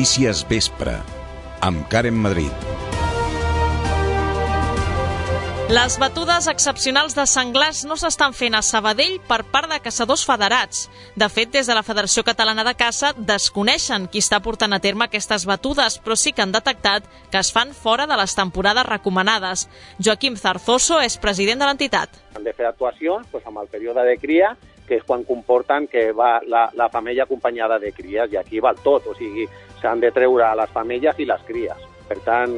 Notícies Vespre, amb Karen Madrid. Les batudes excepcionals de senglars no s'estan fent a Sabadell per part de caçadors federats. De fet, des de la Federació Catalana de Caça desconeixen qui està portant a terme aquestes batudes, però sí que han detectat que es fan fora de les temporades recomanades. Joaquim Zarzoso és president de l'entitat. Han de fer actuacions amb el període de cria, que és quan comporten que va la femella acompanyada de cries, i aquí val tot, o sigui, s'han de treure les femelles i les cries. Per tant,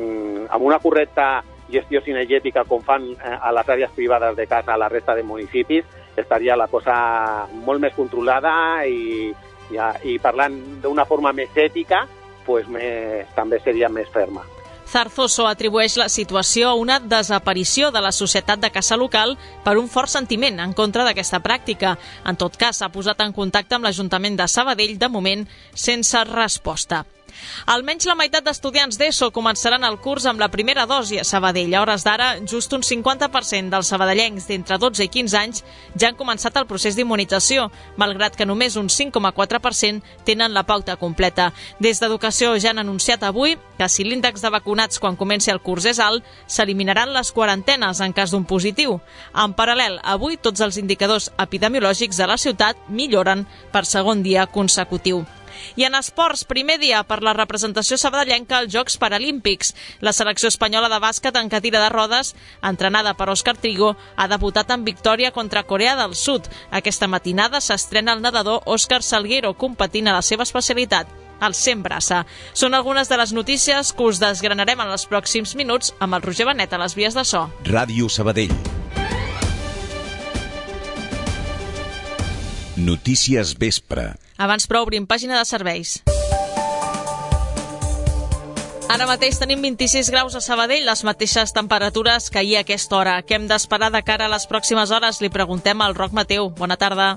amb una correcta gestió cinegètica com fan a les àrees privades de caça a la resta de municipis, estaria la cosa molt més controlada i parlant d'una forma més ètica, també seria més ferma. Zarzoso atribueix la situació a una desaparició de la societat de caça local per un fort sentiment en contra d'aquesta pràctica. En tot cas, s'ha posat en contacte amb l'Ajuntament de Sabadell, de moment, sense resposta. Almenys la meitat d'estudiants d'ESO començaran el curs amb la primera dosi a Sabadell. A hores d'ara, just un 50% dels sabadellencs d'entre 12 i 15 anys ja han començat el procés d'immunització, malgrat que només un 5,4% tenen la pauta completa. Des d'Educació ja han anunciat avui que si l'índex de vacunats quan comenci el curs és alt, s'eliminaran les quarantenes en cas d'un positiu. En paral·lel, avui tots els indicadors epidemiològics de la ciutat milloren per segon dia consecutiu. I en esports, primer dia per la representació sabadellenca als Jocs Paralímpics. La selecció espanyola de bàsquet en cadira de rodes, entrenada per Òscar Trigo, ha debutat en victòria contra Corea del Sud. Aquesta matinada s'estrena el nedador Òscar Salguero, competint a la seva especialitat, el 100 braça. Són algunes de les notícies que us desgranarem en els pròxims minuts amb el Roger Benet a les vies de so. Ràdio Sabadell. Notícies Vespre. Abans però obrim pàgina de serveis. Ara mateix tenim 26 graus a Sabadell, les mateixes temperatures que ahir a aquesta hora. Què hem d'esperar de cara a les pròximes hores? Li preguntem al Roc Mateu. Bona tarda.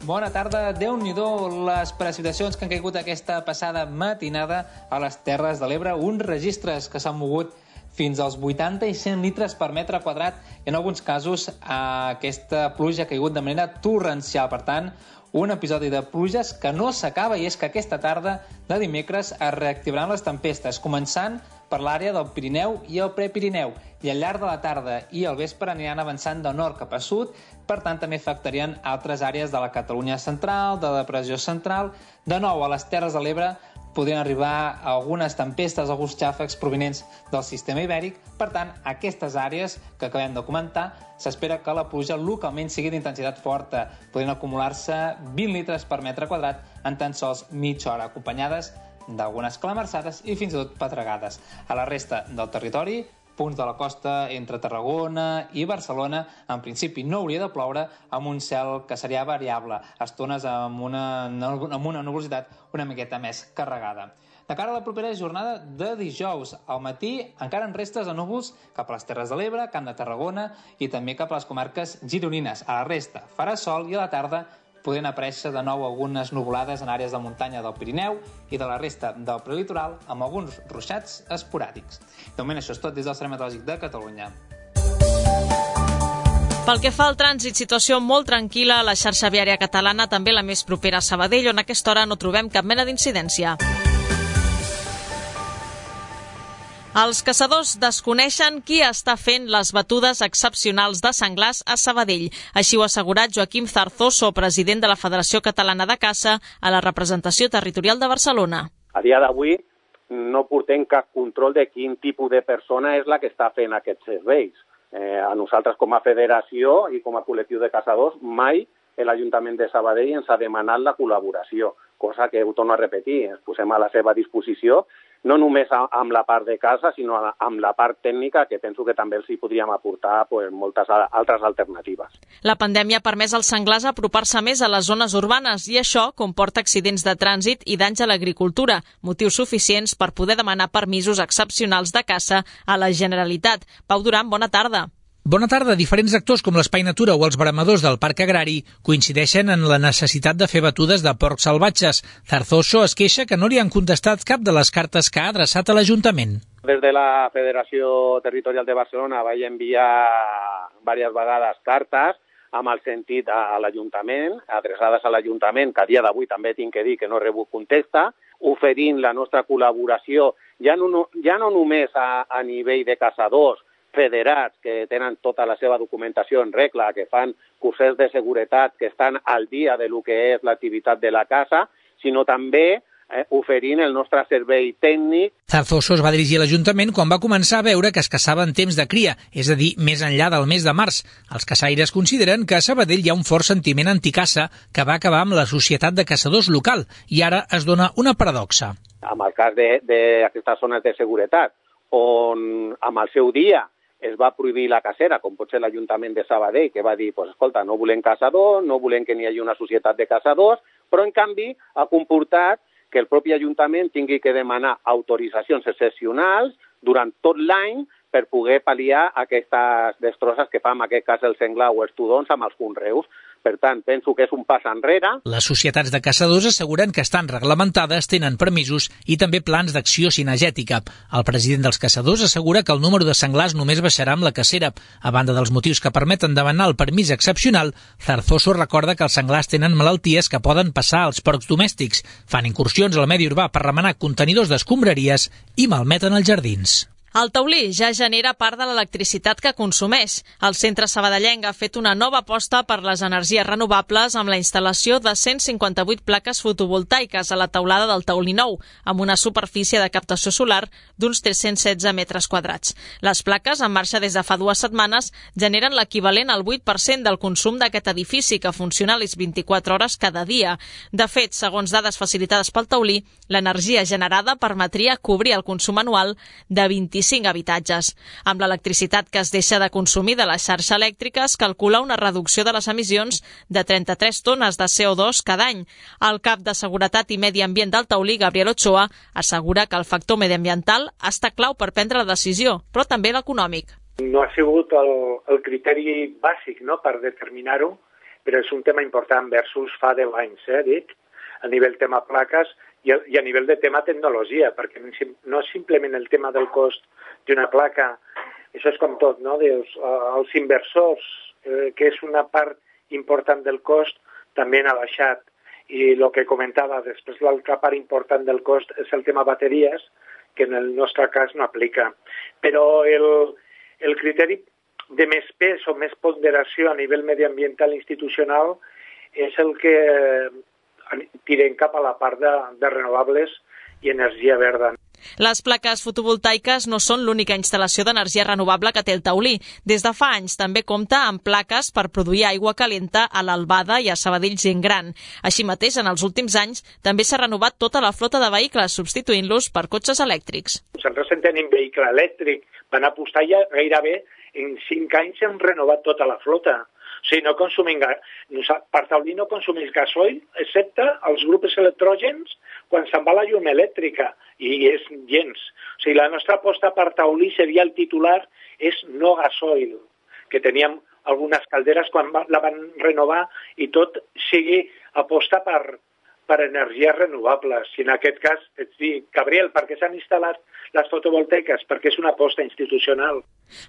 Bona tarda. Déu-n'hi-do les precipitacions que han caigut aquesta passada matinada a les Terres de l'Ebre. Uns registres que s'han mogut fins als 80 i 100 litres per metre quadrat. I en alguns casos aquesta pluja ha caigut de manera torrencial. Per tant, un episodi de pluges que no s'acaba, i és que aquesta tarda de dimecres es reactivaran les tempestes, començant per l'àrea del Pirineu i el Prepirineu, i al llarg de la tarda i al vespre aniran avançant de nord cap a sud, per tant també afectarien altres àrees de la Catalunya central, de la depressió central. De nou, a les Terres de l'Ebre podrien arribar algunes tempestes, alguns xàfecs provinents del sistema ibèric. Per tant, aquestes àrees que acabem de comentar, s'espera que la pluja localment sigui d'intensitat forta. Podrien acumular-se 20 litres per metre quadrat en tan sols mitja hora, acompanyades d'algunes calamarsades i fins i tot pedregades. A la resta del territori, punts de la costa entre Tarragona i Barcelona, en principi no hauria de ploure, amb un cel que seria variable, estones amb una nuvolositat una miqueta més carregada. De cara a la propera jornada de dijous, al matí encara en restes de núvols cap a les Terres de l'Ebre, Camp de Tarragona i també cap a les comarques gironines. A la resta farà sol i a la tarda podrien aparèixer de nou algunes nuvolades en àrees de muntanya del Pirineu i de la resta del prelitoral, amb alguns ruixats esporàdics. De moment això és tot des del Servei Meteorològic de Catalunya. Pel que fa al trànsit, situació molt tranquil·la a la xarxa viària catalana, també la més propera a Sabadell, on a aquesta hora no trobem cap mena d'incidència. Els caçadors desconeixen qui està fent les batudes excepcionals de senglars a Sabadell. Així ho ha assegurat Joaquim Zarzoso, president de la Federació Catalana de Caça, a la representació territorial de Barcelona. A dia d'avui no portem cap control de quin tipus de persona és la que està fent aquests serveis. A nosaltres com a federació i com a col·lectiu de caçadors mai l'Ajuntament de Sabadell ens ha demanat la col·laboració, cosa que ho torno a repetir, ens posem a la seva disposició, no només amb la part de caça, sinó amb la part tècnica, que penso que també els hi podríem aportar moltes altres alternatives. La pandèmia ha permès als senglars apropar-se més a les zones urbanes i això comporta accidents de trànsit i danys a l'agricultura, motius suficients per poder demanar permisos excepcionals de caça a la Generalitat. Pau Duran, bona tarda. Bona tarda. Diferents actors com l'Espai Natura o els bramadors del Parc Agrari coincideixen en la necessitat de fer batudes de porcs salvatges. Zarzoso es queixa que no li han contestat cap de les cartes que ha adreçat a l'Ajuntament. Des de la Federació Territorial de Barcelona vaig enviar diverses vegades cartes amb el sentit a l'Ajuntament, adreçades a l'Ajuntament, que a dia d'avui també tinc que dir que no he rebut contesta. oferint la nostra col·laboració, ja no només a nivell de caçadors federats que tenen tota la seva documentació en regla, que fan cursos de seguretat, que estan al dia de lo que és l'activitat de la caça, sinó també oferint el nostre servei tècnic. Zarzoso es va dirigir a l'Ajuntament quan va començar a veure que es caçava en temps de cria, és a dir, més enllà del mes de març. Els caçaires consideren que a Sabadell hi ha un fort sentiment anticaça que va acabar amb la Societat de Caçadors local i ara es dona una paradoxa. Amb el cas d'aquestes zones de seguretat, on amb el seu dia es va prohibir la cacera, com pot ser l'Ajuntament de Sabadell, que va dir, pues, escolta, no volem caçadors, no volem que n'hi hagi una societat de caçadors, però en canvi ha comportat que el propi Ajuntament tingui que demanar autoritzacions excepcionals durant tot l'any per poder pal·liar aquestes destrosses que fa, en aquest cas, el senglar o els tudons amb els conreus. Per tant, penso que és un pas enrere. Les societats de caçadors asseguren que estan reglamentades, tenen permisos i també plans d'acció cinegètica. El president dels caçadors assegura que el número de senglars només baixarà amb la cacera. A banda dels motius que permeten demanar el permís excepcional, Zarzoso recorda que els senglars tenen malalties que poden passar als porcs domèstics, fan incursions al medi urbà per remenar contenidors d'escombraries i malmeten els jardins. El taulí ja genera part de l'electricitat que consumeix. El centre sabadellenc ha fet una nova aposta per les energies renovables amb la instal·lació de 158 plaques fotovoltaiques a la teulada del taulí nou, amb una superfície de captació solar d'uns 316 metres quadrats. Les plaques, en marxa des de fa 2 setmanes, generen l'equivalent al 8% del consum d'aquest edifici, que funciona a les 24 hores cada dia. De fet, segons dades facilitades pel taulí, l'energia generada permetria cobrir el consum anual de 25 habitatges. Amb l'electricitat que es deixa de consumir de la xarxa elèctrica es calcula una reducció de les emissions de 33 tones de CO2 cada any. El cap de Seguretat i Medi Ambient del taulí, Gabriel Ochoa, assegura que el factor mediambiental està clau per prendre la decisió, però també l'econòmic. No ha sigut el criteri bàsic, no?, per determinar-ho, però és un tema important versus fa 10 anys, dic, a nivell tema plaques i a nivell de tema tecnologia, perquè no és simplement el tema del cost d'una placa, això és com tot, no? Els inversors, que és una part important del cost, també han baixat. I el que comentava, després l'altra part important del cost és el tema bateries, que en el nostre cas no aplica. Però el criteri de més pes o més ponderació a nivell mediambiental institucional és el que tirem cap a la part de renovables i energia verda. Les plaques fotovoltaiques no són l'única instal·lació d'energia renovable que té el taulí. Des de fa anys també compta amb plaques per produir aigua calenta a l'Albada i a Sabadell Gent Gran. Així mateix, en els últims anys, també s'ha renovat tota la flota de vehicles, substituint-los per cotxes elèctrics. Nosaltres en tenim vehicle elèctric. Van apostar ja gairebé en 5 anys hem renovat tota la flota. O sigui, no consumim per taulí no consumeix gasoil, excepte els grups electrògens quan se'n va la llum elèctrica, i és gens. O sigui, la nostra aposta per taulí seria el titular, és no gasoil, que teníem algunes calderes quan la van renovar i tot sigui aposta per energies renovables. I en aquest cas, et dic, Gabriel, per què s'han instal·lat les fotovoltaiques? Perquè és una aposta institucional.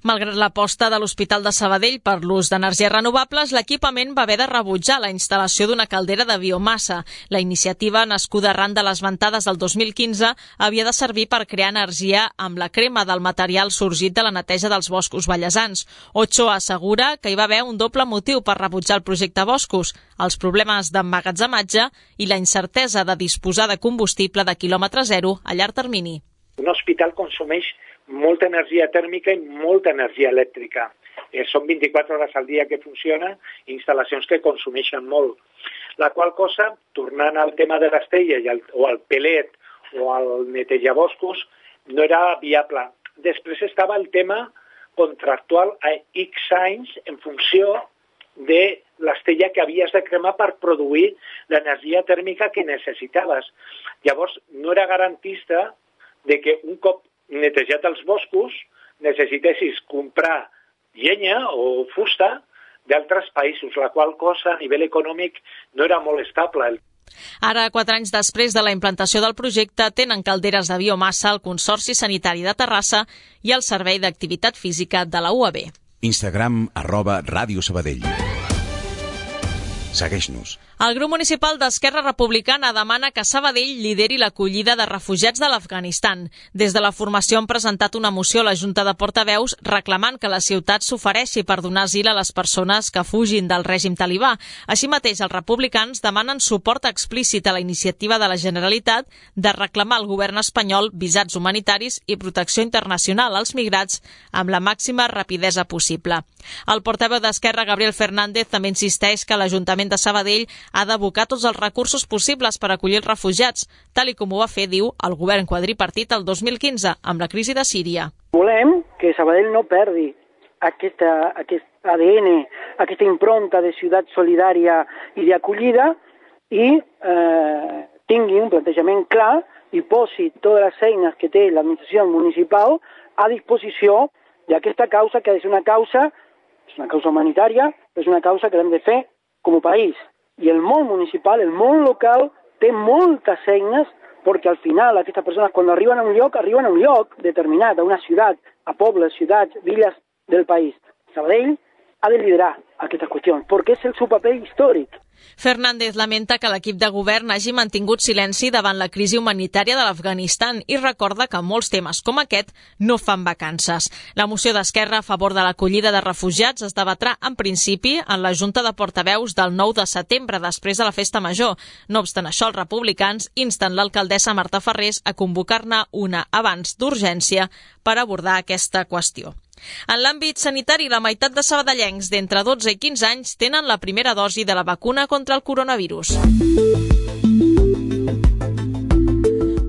Malgrat l'aposta de l'Hospital de Sabadell per l'ús d'energies renovables, l'equipament va haver de rebutjar la instal·lació d'una caldera de biomassa. La iniciativa, nascuda arran de les ventades del 2015, havia de servir per crear energia amb la crema del material sorgit de la neteja dels boscos vallesans. Ochoa assegura que hi va haver un doble motiu per rebutjar el projecte Boscos: els problemes d'emmagatzematge i la incertesa de disposar de combustible de quilòmetre zero a llarg termini. Un hospital consumeix molta energia tèrmica i molta energia elèctrica. Són 24 hores al dia que funciona, instal·lacions que consumeixen molt. La qual cosa, tornant al tema de l'estella o al pelet o al netejaboscos, no era viable. Després estava el tema contractual a X anys en funció de l'estella que havies de cremar per produir l'energia tèrmica que necessitaves. Llavors, no era garantista de que un cop netejat els boscos necessitessis comprar llenya o fusta d'altres països, la qual cosa a nivell econòmic no era molt estable. Ara, 4 anys després de la implantació del projecte, tenen calderes de biomassa el Consorci Sanitari de Terrassa i el Servei d'Activitat Física de la UAB. Instagram @Ràdio Sabadell. Segueix-nos. El grup municipal d'Esquerra Republicana demana que Sabadell lideri l'acollida de refugiats de l'Afganistan. Des de la formació han presentat una moció a la Junta de Portaveus reclamant que la ciutat s'ofereixi per donar asil a les persones que fugin del règim talibà. Així mateix, els republicans demanen suport explícit a la iniciativa de la Generalitat de reclamar al govern espanyol visats humanitaris i protecció internacional als migrats amb la màxima rapidesa possible. El portaveu d'Esquerra, Gabriel Fernández, també insisteix que l'Ajuntament de Sabadell ha d'abocar tots els recursos possibles per acollir els refugiats, tal i com ho va fer, diu, el govern quadripartit el 2015 amb la crisi de Síria. Volem que Sabadell no perdi aquest ADN, aquesta impronta de ciutat solidària i d'acollida i tingui un plantejament clar i posi totes les eines que té l'administració municipal a disposició d'aquesta causa, que és una causa humanitària, però és una causa que l'hem de fer com a país. I el món municipal, el món local, té moltes eines perquè al final aquestes persones quan arriben a un lloc determinat, a una ciutat, a pobles, ciutats, villes del país. Sabadell ha de liderar aquestes qüestions perquè és el seu paper històric. Fernández lamenta que l'equip de govern hagi mantingut silenci davant la crisi humanitària de l'Afganistan i recorda que molts temes com aquest no fan vacances. La moció d'Esquerra a favor de l'acollida de refugiats es debatrà en principi en la Junta de Portaveus del 9 de setembre, després de la Festa Major. No obstant això, els republicans insten l'alcaldessa Marta Farrés a convocar-ne una abans d'urgència per abordar aquesta qüestió. En l'àmbit sanitari, la meitat de sabadellencs d'entre 12 i 15 anys tenen la primera dosi de la vacuna contra el coronavirus.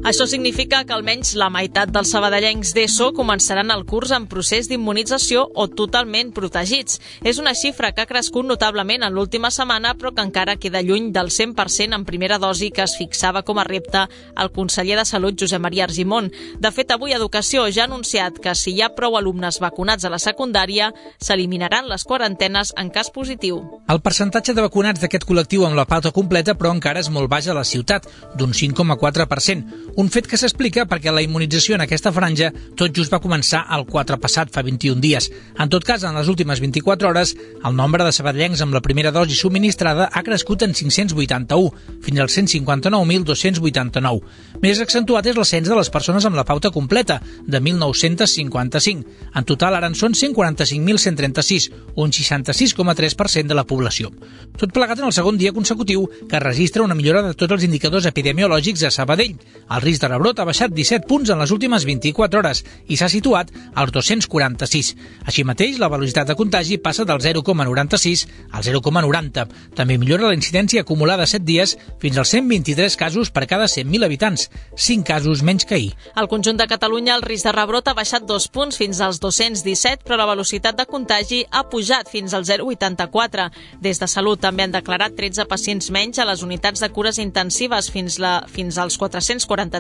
Això significa que almenys la meitat dels sabadellencs d'ESO començaran el curs en procés d'immunització o totalment protegits. És una xifra que ha crescut notablement en l'última setmana, però que encara queda lluny del 100% en primera dosi que es fixava com a repte el conseller de Salut, Josep Maria Argimon. De fet, avui Educació ja ha anunciat que si hi ha prou alumnes vacunats a la secundària, s'eliminaran les quarantenes en cas positiu. El percentatge de vacunats d'aquest col·lectiu amb la pauta completa, però encara és molt baix a la ciutat, d'un 5,4%. Un fet que s'explica perquè la immunització en aquesta franja tot just va començar el 4 passat, fa 21 dies. En tot cas, en les últimes 24 hores, el nombre de sabadellencs amb la primera dosi subministrada ha crescut en 581, fins als 159.289. Més accentuat és l'ascens de les persones amb la pauta completa, de 1.955. En total, ara en són 145.136, un 66,3% de la població. Tot plegat en el segon dia consecutiu que registra una millora de tots els indicadors epidemiològics a Sabadell. El risc de rebrot ha baixat 17 punts en les últimes 24 hores i s'ha situat als 246. Així mateix, la velocitat de contagi passa del 0,96 al 0,90. També millora la incidència acumulada 7 dies fins als 123 casos per cada 100.000 habitants, 5 casos menys que ahir. Al conjunt de Catalunya, el risc de rebrot ha baixat 2 punts fins als 217, però la velocitat de contagi ha pujat fins al 0,84. Des de Salut també han declarat 13 pacients menys a les unitats de cures intensives fins als 443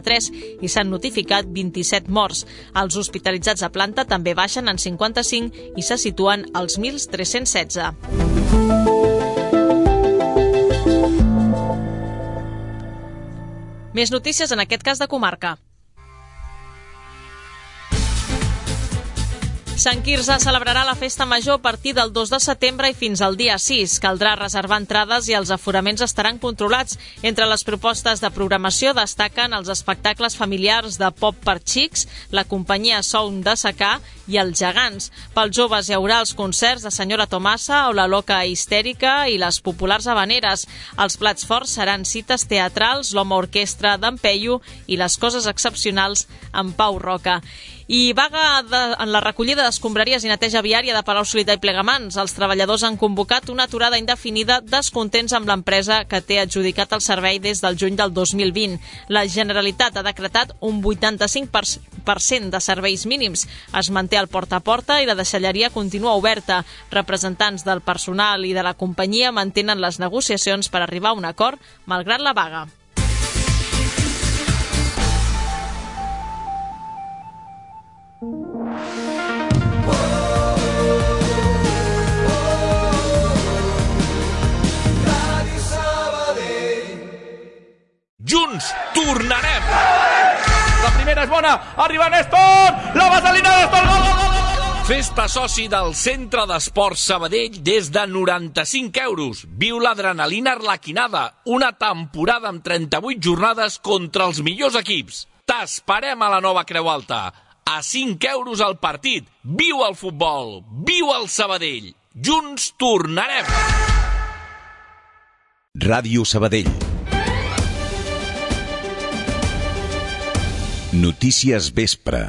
i s'han notificat 27 morts. Els hospitalitzats a planta també baixen en 55 i se situen als 1.316. Més notícies, en aquest cas de comarca. Sant Quirze celebrarà la Festa Major a partir del 2 de setembre i fins al dia 6. Caldrà reservar entrades i els aforaments estaran controlats. Entre les propostes de programació destaquen els espectacles familiars de pop per xics, la companyia Sound de Secà i els Gegants. Pels joves hi haurà els concerts de Senyora Tomasa o la Loca Histèrica i les populars habaneres. Els plats forts seran cites teatrals, l'Home Orquestra d'en Peyu i les coses excepcionals amb Pau Roca. I vaga en la recollida d'escombraries i neteja viària de Palau-solità i Plegamans. Els treballadors han convocat una aturada indefinida descontents amb l'empresa que té adjudicat el servei des del juny del 2020. La Generalitat ha decretat un 85% de serveis mínims. Es manté el porta a porta i la deixalleria continua oberta. Representants del personal i de la companyia mantenen les negociacions per arribar a un acord malgrat la vaga. Junts tornarem! La primera és bona, arriba Néstor, la vaselina Néstor, gol, gol, gol, gol! Fes-te soci del Centre d'Esports Sabadell des de 95 euros. Viu l'adrenalina arlequinada, una temporada amb 38 jornades contra els millors equips. T'esperem a la nova Creu Alta. A 5 euros al partit. Viu el futbol, viu el Sabadell. Junts tornarem. Ràdio Sabadell. Notícies Vespre.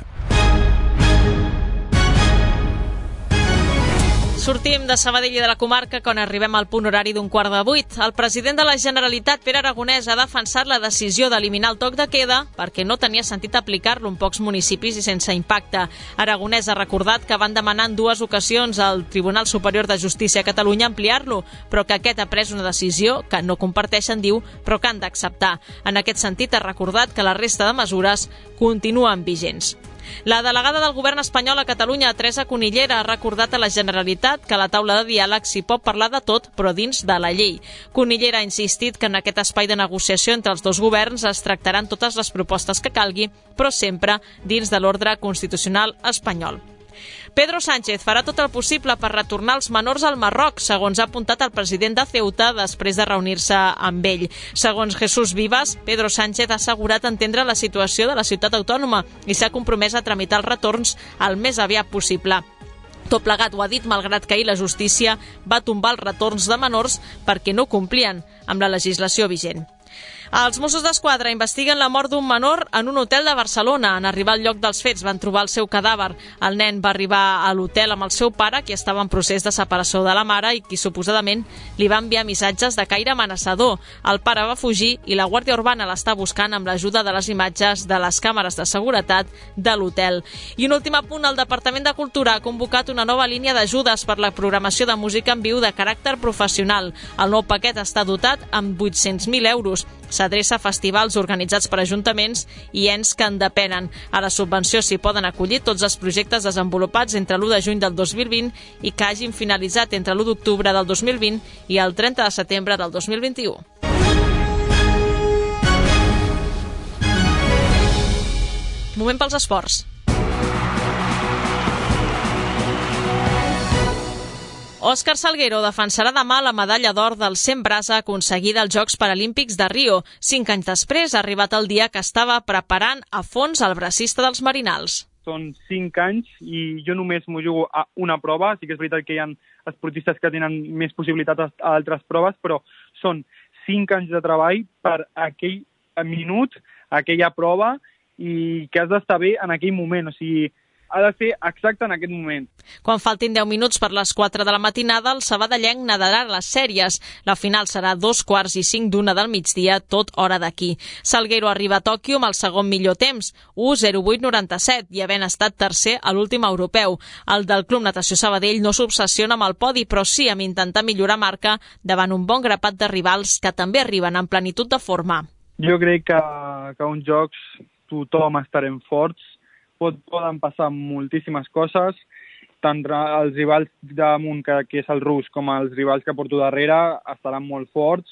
Sortim de Sabadell i de la comarca quan arribem al punt horari d'un 7:15. El president de la Generalitat, Pere Aragonès, ha defensat la decisió d'eliminar el toc de queda perquè no tenia sentit aplicar-lo en pocs municipis i sense impacte. Aragonès ha recordat que van demanar en 2 ocasions al Tribunal Superior de Justícia a Catalunya ampliar-lo, però que aquest ha pres una decisió que no comparteixen, diu, però que han d'acceptar. En aquest sentit, ha recordat que la resta de mesures continuen vigents. La delegada del govern espanyol a Catalunya, Teresa Cunillera, ha recordat a la Generalitat que a la taula de diàleg s'hi pot parlar de tot, però dins de la llei. Cunillera ha insistit que en aquest espai de negociació entre els dos governs es tractaran totes les propostes que calgui, però sempre dins de l'ordre constitucional espanyol. Pedro Sánchez farà tot el possible per retornar els menors al Marroc, segons ha apuntat el president de Ceuta després de reunir-se amb ell. Segons Jesús Vivas, Pedro Sánchez ha assegurat entendre la situació de la ciutat autònoma i s'ha compromès a tramitar els retorns el més aviat possible. Tot plegat ho ha dit malgrat que ahir la justícia va tombar els retorns de menors perquè no complien amb la legislació vigent. Els Mossos d'Esquadra investiguen la mort d'un menor en un hotel de Barcelona. En arribar al lloc dels fets van trobar el seu cadàver. El nen va arribar a l'hotel amb el seu pare, qui estava en procés de separació de la mare i qui suposadament li va enviar missatges de caire amenaçador. El pare va fugir i la Guàrdia Urbana l'està buscant amb l'ajuda de les imatges de les càmeres de seguretat de l'hotel. I un últim apunt, el Departament de Cultura ha convocat una nova línia d'ajudes per la programació de música en viu de caràcter professional. El nou paquet està dotat amb 800.000 euros. S'adreça a festivals organitzats per ajuntaments i ens que en depenen. A la subvenció s'hi poden acollir tots els projectes desenvolupats entre l'1 de juny del 2020 i que hagin finalitzat entre l'1 d'octubre del 2020 i el 30 de setembre del 2021. Moment pels esports. Òscar Salguero defensarà demà la medalla d'or del 100 brasa aconseguida als Jocs Paralímpics de Rio. 5 anys després ha arribat el dia que estava preparant a fons el bracista dels Marinals. Són 5 anys i jo només m'ho jugo a una prova. Sí que és veritat que hi ha esportistes que tenen més possibilitats a altres proves, però són 5 anys de treball per aquell minut, aquella prova, i que has d'estar bé en aquell moment. O sigui, ha de ser exacte en aquest moment. Quan faltin 10 minuts per les 4 de la matinada, el sabadellenc nadarà les sèries. La final serà 2:45 d'una del migdia, tot hora d'aquí. Salguero arriba a Tòquio amb el segon millor temps, 1:08.97, i havent estat tercer a l'últim europeu. El del Club Natació Sabadell no s'obsessiona amb el podi, però sí amb intentar millorar marca davant un bon grapat de rivals que també arriben en plenitud de forma. Jo crec que uns jocs tothom estarem forts. Poden passar moltíssimes coses, tant els rivals damunt, que és el rus, com els rivals que porto darrere, estaran molt forts.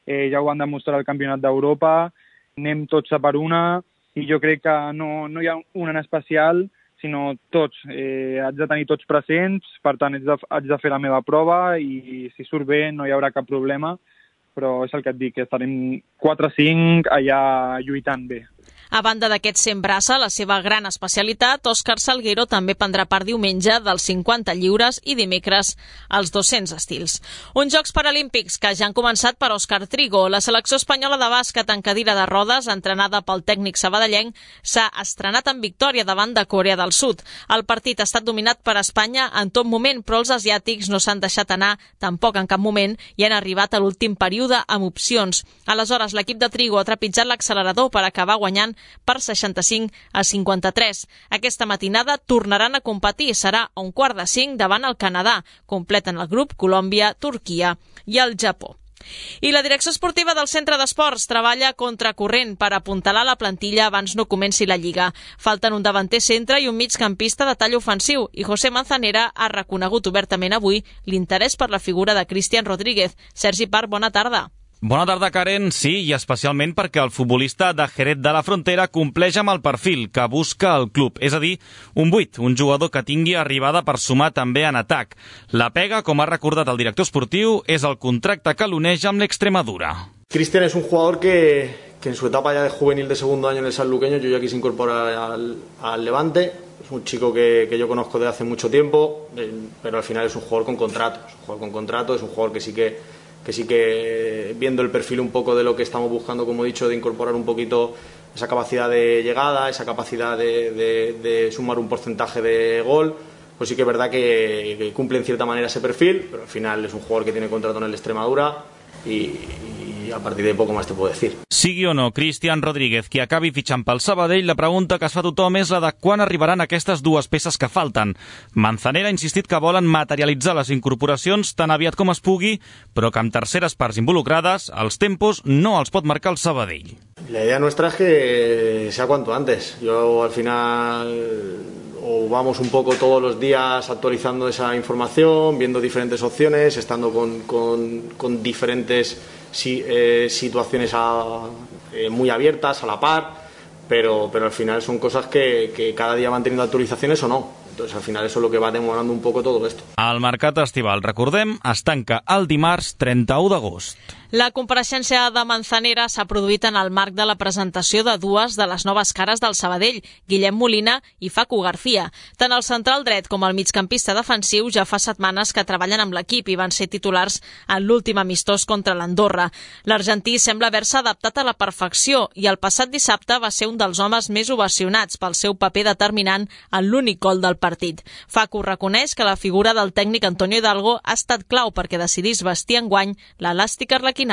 Ja ho van demostrar al Campionat d'Europa, anem tots a per una, i jo crec que no hi ha un en especial, sinó tots. Haig de tenir tots presents, per tant haig de fer la meva prova i si surt bé no hi haurà cap problema, però és el que et dic, que estarem 4-5 allà lluitant bé. A banda d'aquest 100 brasa, la seva gran especialitat, Òscar Salguero també prendrà part diumenge dels 50 lliures i dimecres als 200 estils. Uns Jocs Paralímpics que ja han començat per Òscar Trigo. La selecció espanyola de bàsquet en cadira de rodes, entrenada pel tècnic sabadellenc, s'ha estrenat en victòria davant de Corea del Sud. El partit ha estat dominat per Espanya en tot moment, però els asiàtics no s'han deixat anar tampoc en cap moment i han arribat a l'últim període amb opcions. Aleshores, l'equip de Trigo ha trepitjat l'accelerador per acabar guanyant per 65-53. Aquesta matinada tornaran a competir. Serà a 4:45 davant el Canadà. Completen el grup Colòmbia, Turquia i el Japó. I la direcció esportiva del Centre d'Esports treballa contracorrent per apuntalar la plantilla abans no comenci la Lliga. Falten un davanter centre i un migcampista de tall ofensiu i José Manzanera ha reconegut obertament avui l'interès per la figura de Cristian Rodríguez. Sergi Parr, bona tarda. Bona tarda, Karen. Sí, i especialment perquè el futbolista de Jerez de la Frontera compleix amb el perfil que busca el club, és a dir, un 8, un jugador que tingui arribada per sumar també en atac. La pega, com ha recordat el director esportiu, és el contracte que l'uneix amb l'Extremadura. Cristian es un jugador que en su etapa ya de juvenil de segundo año en el sanluqueño, yo ya quise incorporar al Levante. Es un chico que yo conozco desde hace mucho tiempo, pero al final es un jugador con contrato. Es un jugador que sí que viendo el perfil un poco de lo que estamos buscando, como he dicho, de incorporar un poquito esa capacidad de llegada, esa capacidad de sumar un porcentaje de gol, pues sí que es verdad que cumple en cierta manera ese perfil, pero al final es un jugador que tiene contrato en el Extremadura i a partir de poco más te puedo decir. Sigui o no Cristian Rodríguez qui acabi fitxant pel Sabadell, la pregunta que es fa tothom és la de quan arribaran aquestes dues peces que falten. Manzanera ha insistit que volen materialitzar les incorporacions tan aviat com es pugui, però que amb terceres parts involucrades, els tempos no els pot marcar el Sabadell. La idea nuestra es que sea cuanto antes. Yo al final o vamos un poco todos los días actualizando esa información, viendo diferentes opciones, estando con diferentes situaciones muy abiertas, a la par, pero al final son cosas que cada día van teniendo actualizaciones o no. Entonces al final eso es lo que va demorando un poco todo esto. El mercat estival, recordem, es tanca el dimarts 31 d'agost. La compareixença de Manzanera s'ha produït en el marc de la presentació de dues de les noves cares del Sabadell, Guillem Molina i Facu García. Tant el central dret com el migcampista defensiu ja fa setmanes que treballen amb l'equip i van ser titulars en l'últim amistós contra l'Andorra. L'argentí sembla haver-se adaptat a la perfecció i el passat dissabte va ser un dels homes més ovacionats pel seu paper determinant en l'únic gol del partit. Facu reconeix que la figura del tècnic Antonio Hidalgo ha estat clau perquè decidís vestir enguany l'elàstica arlequinada.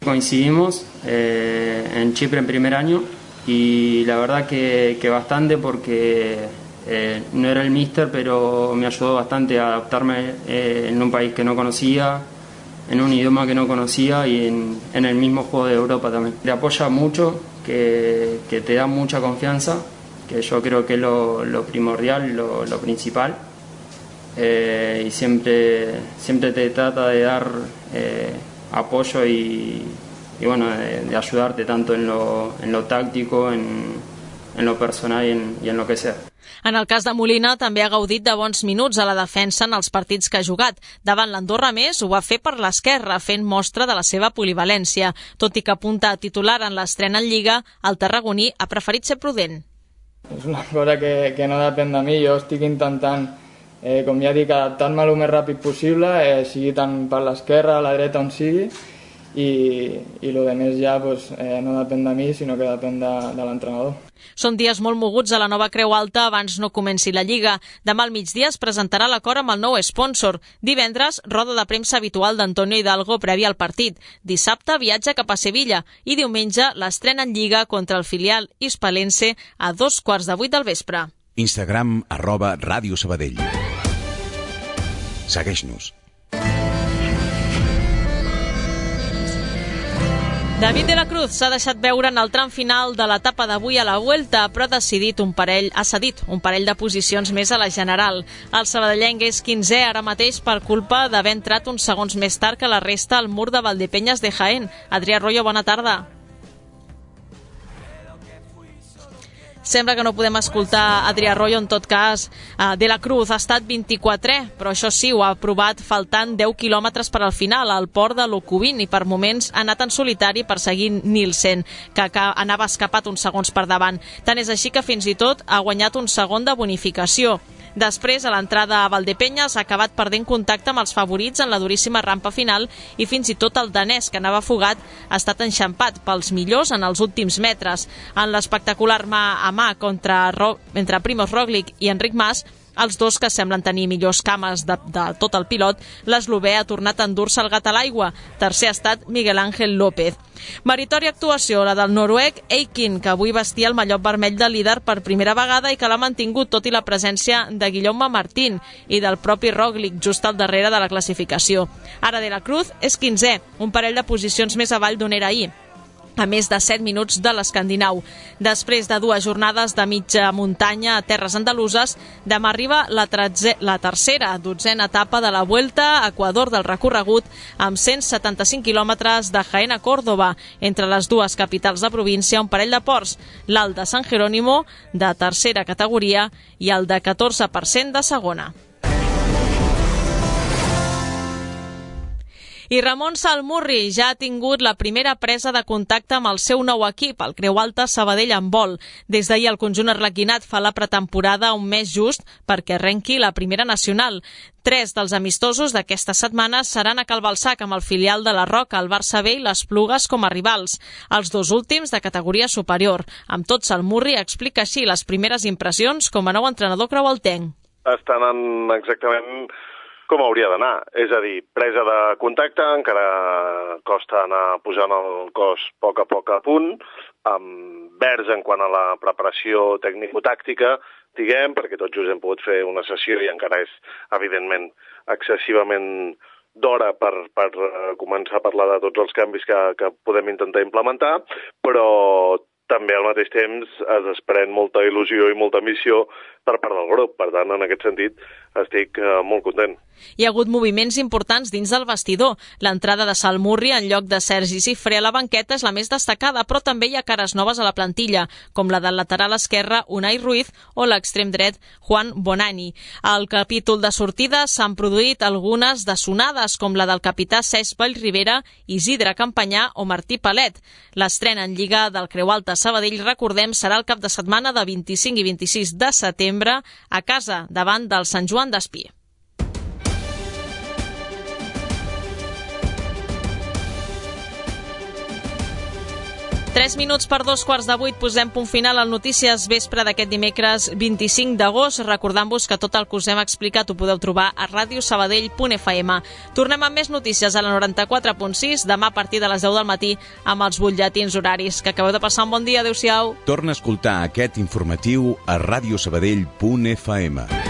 Coincidimos en Chipre en primer año y la verdad que bastante porque no era el míster, pero me ayudó bastante a adaptarme en un país que no conocía, en un idioma que no conocía y en el mismo juego de Europa también. Te apoya mucho, que te da mucha confianza, que yo creo que es lo primordial, lo principal. Y siempre te trata de dar apoyo y bueno, de ayudarte tanto en lo táctico, en lo personal y en lo que sea. En el cas de Molina també ha gaudit de bons minuts a la defensa en els partits que ha jugat. Davant l'Andorra més ho va fer per l'esquerra, fent mostra de la seva polivalència. Tot i que apunta a titular en l'estrena en Lliga, el tarragoní ha preferit ser prudent. És una cosa que no depèn de mi. Jo estic intentant, com ja dic, adaptar-me el més ràpid possible, sigui tant per l'esquerra, a la dreta, on sigui, i el més ja no depèn de mi, sinó que depèn de l'entrenador. Són dies molt moguts a la nova Creu Alta abans no comenci la Lliga. Demà al migdia es presentarà l'acord amb el nou sponsor. Divendres, roda de premsa habitual d'Antonio Hidalgo prèvia al partit. Dissabte, viatge cap a Sevilla i diumenge l'estrena en Lliga contra el filial hispalense a 7:15 del vespre. Instagram @Ràdio Sabadell. Segueix-nos. David de la Cruz s'ha deixat veure en el tram final de l'etapa d'avui a la Vuelta, però ha cedit un parell de posicions més a la general. El sabadellenc és 15è ara mateix per culpa d'haver entrat uns segons més tard que la resta al mur de Valdepeñas de Jaén. Adrià Arroyo, bona tarda. Sembla que no podem escoltar Adrià Arroyo, en tot cas. De la Cruz ha estat 24è, però això sí, ho ha aprovat faltant 10 quilòmetres per al final, al port de Locubín, i per moments ha anat en solitari perseguint Nielsen, que anava escapat uns segons per davant. Tant és així que fins i tot ha guanyat un segon de bonificació. Després, a l'entrada a Valdepeñas, ha acabat perdent contacte amb els favorits en la duríssima rampa final i fins i tot el danès, que anava fugat, ha estat enxampat pels millors en els últims metres. En l'espectacular mà a mà entre Primož Roglič i Enric Mas, els dos que semblen tenir millors cames de tot el pilot, l'eslovè ha tornat a endur-se el gat a l'aigua. Tercer ha estat Miguel Ángel López. Meritòria actuació, la del noruec Eikin, que avui vestia el mallot vermell de líder per primera vegada i que l'ha mantingut tot i la presència de Guillaume Martín i del propi Roglič just al darrere de la classificació. Ara de la Cruz és 15è, un parell de posicions més avall d'on era ahir. a més de 7 minuts de l'Escandinau. Després de 2 jornades de mitja muntanya a terres andaluses, demà arriba la tercera, 12a etapa de la Vuelta a Equador del recorregut, amb 175 quilòmetres de Jaén a Córdoba, entre les dues capitals de província, un parell de ports, l'alt de San Jerónimo, de tercera categoria, i el de 14% de segona. I Ramon Salmurri ja ha tingut la primera presa de contacte amb el seu nou equip, el Creu Alta Sabadell Handbol. Des d'ahir el conjunt arlequinat fa la pretemporada un mes just perquè arrenqui la primera nacional. 3 dels amistosos d'aquesta setmana seran a Calbalsac amb el filial de la Roca, el Barça B i les Plugues com a rivals. Els 2 últims de categoria superior. Amb tot, Salmurri explica així les primeres impressions com a nou entrenador creualtenc. Estan en exactament com hauria d'anar, és a dir, presa de contacte, encara costa anar posant el cos a poc a punt, amb verds en quant a la preparació tècnico-tàctica, diguem, perquè tots just hem pogut fer una sessió i encara és, evidentment, excessivament d'hora per començar a parlar de tots els canvis que podem intentar implementar, però també al mateix temps es desprèn molta il·lusió i molta missió per part del grup. Per tant, en aquest sentit, estic molt content. Hi ha hagut moviments importants dins del vestidor. L'entrada de Salmurri en lloc de Sergi Cifré a la banqueta és la més destacada, però també hi ha cares noves a la plantilla, com la del lateral esquerre Unai Ruiz o l'extrem dret Juan Bonani. Al capítol de sortida s'han produït algunes de sonades, com la del capità Cesc Vallribera, Isidre Campanyà o Martí Palet. L'estrena en Lliga del Creu Alta Sabadell, recordem, serà el cap de setmana de 25 i 26 de setembre a casa, davant del Sant Joan d'Espí. Tres minuts per 7:45, posem punt final al Notícies Vespre d'aquest dimecres 25 d'agost, recordant-vos que tot el que us hem explicat ho podeu trobar a radiosabadell.fm. Tornem amb més notícies a la 94.6, demà a partir de les 10 del matí amb els butlletins horaris. Que acabeu de passar un bon dia, adeu-siau. Torna a escoltar aquest informatiu a radiosabadell.fm.